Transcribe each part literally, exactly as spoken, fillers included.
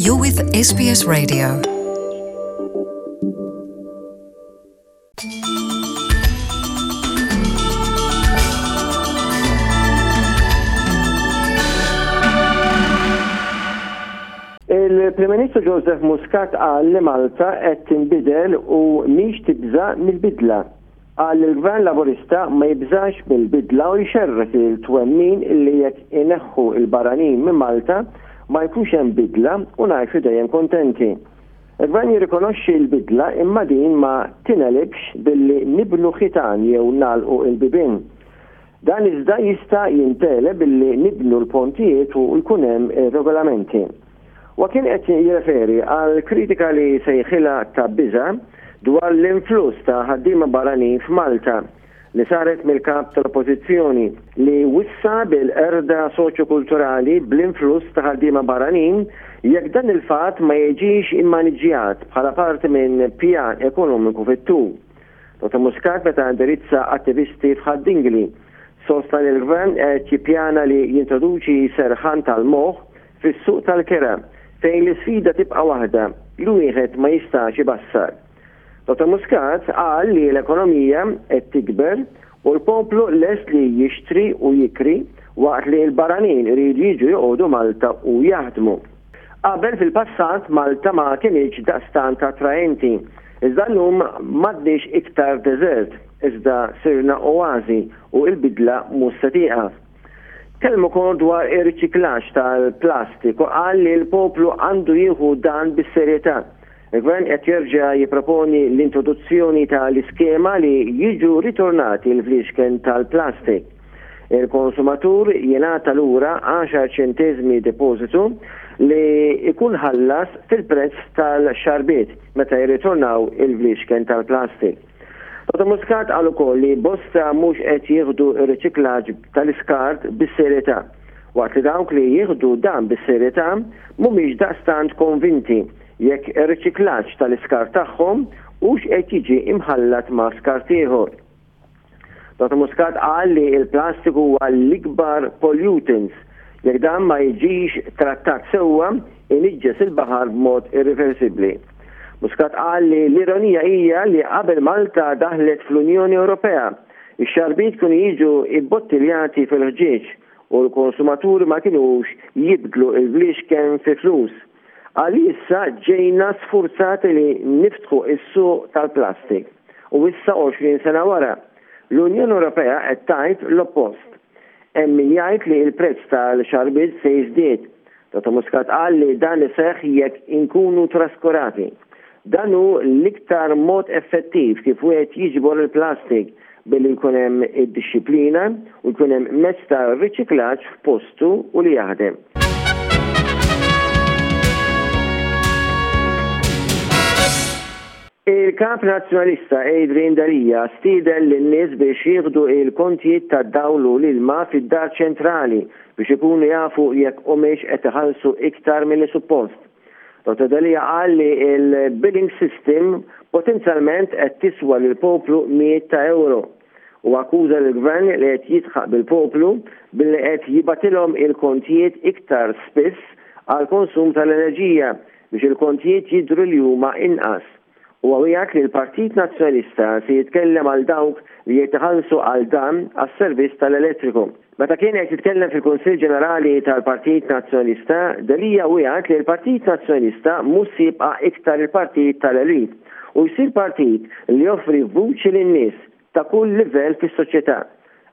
You're with S B S Radio. Il-Prim Ministru Joseph Muscat qal li Malta qed tinbidel u mhix tibża' mill-bidla. Qal li l-Gvern Laburista ma jibżax mill-bidla u jxerred il-twemmin li jekk ineħħu il-barranin minn Malta ma jkunx hemm bidla u ngħixu dejjem kontenti. Il-Gvern jirrikonoxxi l-bidla, imma din ma tingħelibx billi nibnu ħitan jew nagħlqu il-bibien. Dan iżda jista' jintgħeleb billi nibnu l-pontijiet u jkun hemm regolamenti. Wa kien qed jirreferi għal kritika li sejħilha ta' biża dwar l-influss ta' ħaddiema barranin f'Malta li saret mill-kap tal-Oppożizzjoni, li wissa bil-qerda soċjokulturali bl-influss ta' ħaddiema barranin jekk dan il-fatt ma jiġix immaniġjat bħala parti minn pjan ekonomiku fit-tul. Dottor Muscat, meta indirizza attivisti f'Ħad-Dingli, sostna li l-gvern qed jippjana li jintroduċi serħan tal-moħħ fis-suq tal-kera, fejn l-isfida tibqa' waħda li wieħed ma jistax ibassar. Dottor Muscat qal li l-ekonomija qed tikber u l-poplu lest li jixtri u jikri, waqt li l-barranin iridu jiġu joqogħdu Malta u jaħdmu. Qabel, fil-passat, Malta ma kinitx daqstant attraenti. Iżda llum m'għadniex iktar deżert, iżda sirna oazi u l-bidla mhux se tieqaf. Tkellem ukoll dwar ir-riċiklaġġ tal-plastik u qal li l-poplu għandu jieħu dan bis-serjetà. Il-Gvern qed jerġa' jipproponi l-introduzzjoni tal-iskema li jiġu ritornati l-fliexken tal-plastik. Il-konsumatur jingħata lura għaxar ċentesmi depożitu li ikun ħallas fil-prezz tal-xarbiet meta jirritornaw il-fliexken tal-plastik. Dottor Muscat qal ukoll li bosta mhux qed jieħdu r-riċiklaġġ tal-iskart bis-serjetà, waqt li dawk li jieħdu dan bis-serjetà mhumiex daqstant konvinti jekk ir-riċiklaġġ tal-iskart tagħhom hux qed jiġi imħallat ma' skart ieħor. Dottor Muscat qal li l-plastik huwa l-ikbar pollutants. Jekk dan ma jiġix trattat sewwa, iniġġes il-baħar b'mod irreversibbli. Muscat qal li l-ironija hija li qabel Malta daħlet fl-Unjoni Ewropea, ix-xarbiet kienu jiġu ibbottiljati fil-ħġieġ u l-konsumaturi ma kinux jibdlu il-fliexken fi flus. Qal li issa ġejna sfurzati li niftħu is-suq tal-plastik u issa, għoxrin sena wara, l-Unjoni Ewropea qed tgħid l-oppost. Hemm min jgħid li l-prezz tal-xarbiet se jiżdied. Dottor Muscat qal li dan iseħħ jekk inkunu traskurati. Dan hu l-iktar mod effettiv kif wieħed jiġbor il-plastik, billi jkun hemm id-dixxiplina u jkun hemm mezz ta' riċiklaġġ f'postu u li jaħdem. Il-kap nazzjonalista Adrian Delia stieden lin-nies biex jieħdu il-kontijiet tad-dawl u l-ilma fid-dar ċentrali biex ikunu jafu jekk humiex qed iħallsu iktar milli suppost. Dottor Delia qal li il-billing system potenzjalment qed tiswa lil poplu mijiet ta' euro u akkuża l-gvern li qed jidħaq bil-poplu billi qed jibgħatilhom il-kontijiet iktar spiss għal konsum tal-enerġija biex il-kontijiet jidhru li huma inqas. U wiegħed li l-Partit Nazzjonalista se jitkellem għal dawk li jitħallsu għal dan għas-servizz tal-elettriku. Meta kien qed jitkellem fil-Kunsill Ġenerali tal-Partit Nazzjonalista, Delia wiegħed li l-Partit Nazzjonalista mhux se jibqa' iktar il-partit tal-elit u jsir partit li joffri vuċi lin-nies ta' kull livell fis-soċjetà.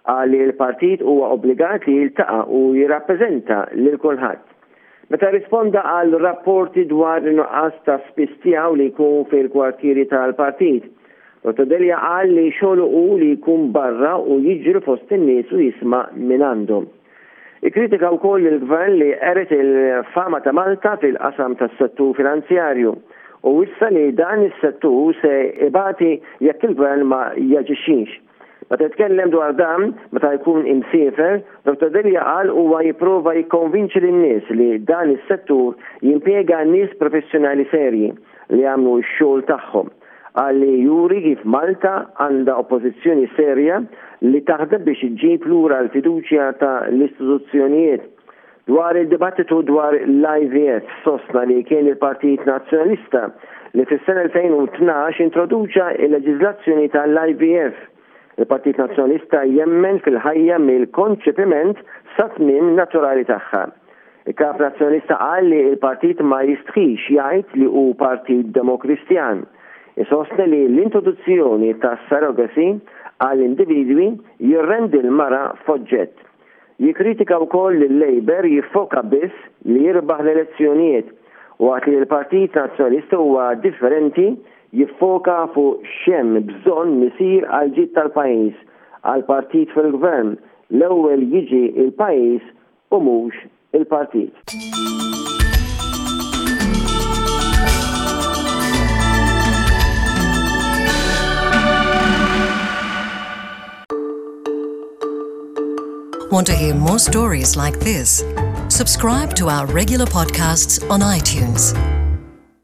Qal li l-partit huwa obbligat li jiltaqa' u jirrappreżenta lil kulħadd. Meta risponda għal rapporti dwar nuqqas ta' spiss tiegħu li jkun fil-kwartieri tal-partit, Dottor Delia qal li xogħlu hu li jkun barra u jiġri fost in-nies u jisma' minn għandhom. Ikkritika wkoll il-gvern li qered il-fama ta' Malta fil-qasam tas-settur finanzjarju u wissa li dan is-settur se ibati jekk il-gvern ma jaġixxix. Meta jitkellem dwar dan, meta jkun imsiefer, Dottor Delia qal huwa jipprova jikkonvinċi lin-nies li dan is-settur jimpjega nies professjonali serji li jagħmlu x-xogħol tagħhom. Qal li juri kif Malta għandha oppożizzjoni serja li taħdem biex iġġib lura l-fiduċja ta' l-istituzzjonijiet. Dwar il-dibattitu dwar l-I V F, sostna li kien il-Partit Nazzjonalista li fis-sena elfejn u tnax introduċa il-leġiżlazzjoni tal-I V F. Il-Partit Nazzjonalista jemmen fil-ħajja mill-konċepiment sa tmiem naturali tagħha. Il-Kap Nazzjonalista qal li il-partit ma jistħix jgħid li hu partit demokristjan. Isostni li l-introduzzjoni ta' surrogacy għall-individwi jirrendi l-mara f'oġġett. Jikritika wkoll li l-Labour jiffoka biss li jirbaħ l-elezzjonijiet, waqt li l-Partit Nazzjonalista huwa differenti, jiffoka fuq x'hemm bżonn isir għal ġid tal-pajjiż. Għal partit fil-gvern, l-ewwel jiġi il-pajjiż u mhux il-partit. Want to hear more stories like this? Subscribe to our regular podcasts on iTunes.